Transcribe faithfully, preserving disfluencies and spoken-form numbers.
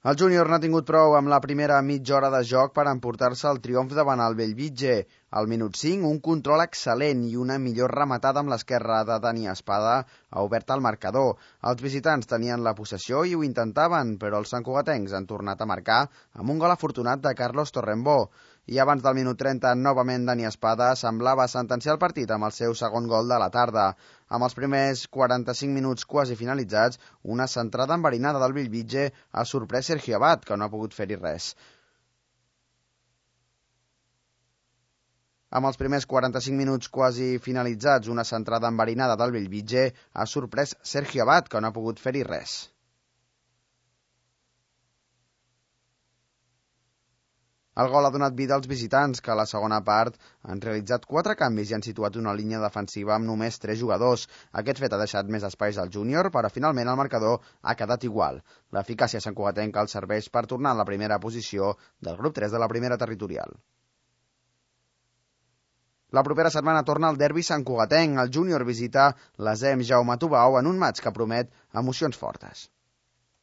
El júnior n'ha tingut prou amb la primera mitja hora de joc per emportar-se el triomf davant el Bellvitge. Al minut cinc, un control excel·lent i una millor rematada amb l'esquerra de Dani Espada ha obert el marcador. Els visitants tenien la possessió i ho intentaven, però els santcugatencs han tornat a marcar amb un gol afortunat de Carlos Torrembó. I abans del minut trenta, novament Dani Espada semblava sentenciar el partit amb el seu segon gol de la tarda. Amb els primers quaranta-cinc minuts quasi finalitzats, una centrada enverinada del Bellvitge ha sorprès Sergio Abad, que no ha pogut fer-hi res. Amb els primers quaranta-cinc minuts quasi finalitzats, una centrada enverinada del Bellvitge ha sorprès Sergio Abad, que no ha pogut fer-hi res. El gol ha donat vida als visitants, que a la segona part han realitzat quatre canvis i han situat una línia defensiva amb només tres jugadors. Aquest fet ha deixat més espais al júnior, però finalment el marcador ha quedat igual. L'eficàcia santcugatenca els serveix per tornar a la primera posició del grup tres de la primera territorial. La propera setmana torna el derbi santcugatenc. El júnior visita l'A S E M Jaume Tubau en un matx que promet emocions fortes.